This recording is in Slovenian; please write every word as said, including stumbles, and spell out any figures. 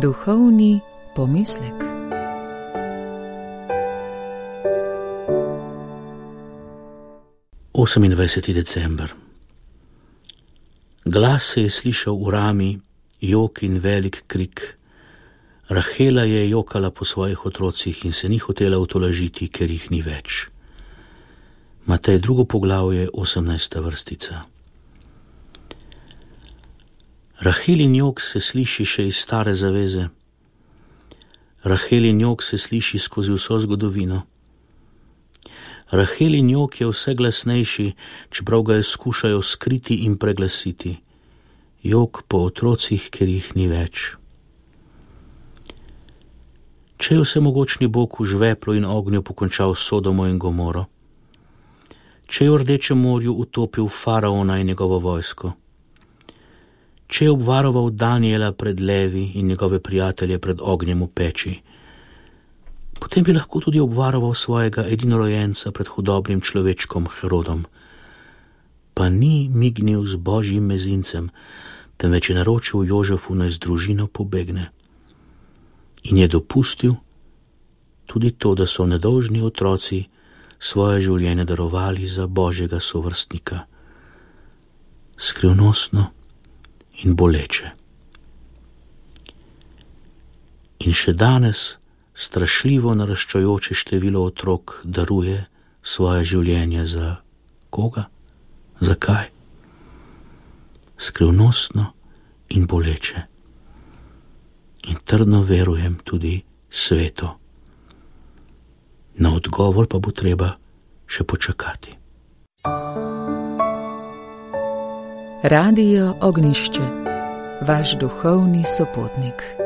Duhovni pomislek. osemindvajseti december. Glas se je slišal v rami, jok in velik krik. Rahela je jokala po svojih otrocih in se ni hotela utolažiti, ker jih ni več. Matej drugo poglavje, osemnajsta vrstica. Rahelin jok se sliši še iz stare zaveze. Rahelin jok se sliši skozi vso zgodovino. Rahelin jok je vse glasnejši, čeprav ga je skušajo skriti in preglasiti. Jok po otrocih, ker jih ni več. Če je vsemogočni Bog v žveplu in ognju pokončal Sodomo in Gomoro? Če je v Rdečem morju utopil faraona in njegovo vojsko? Če je obvaroval Daniela pred levi in njegove prijatelje pred ognjem v peči, potem bi lahko tudi obvaroval svojega edinorojenca pred hudobnim človečkom Herodom. Pa ni mignil z božjim mezincem, temveč je naročil Jožefu, naj z družino pobegne. In je dopustil tudi to, da so nedolžni otroci svoje življenje darovali za božjega sovrstnika. Skrivnostno in boleče. In še danes strašljivo naraščajoče število otrok daruje svoje življenje za koga? Zakaj? Skrivnostno in boleče. In trdno verujem tudi sveto. Na odgovor pa bo treba še počakati. Radio Ognišče, vaš duhovni sopotnik.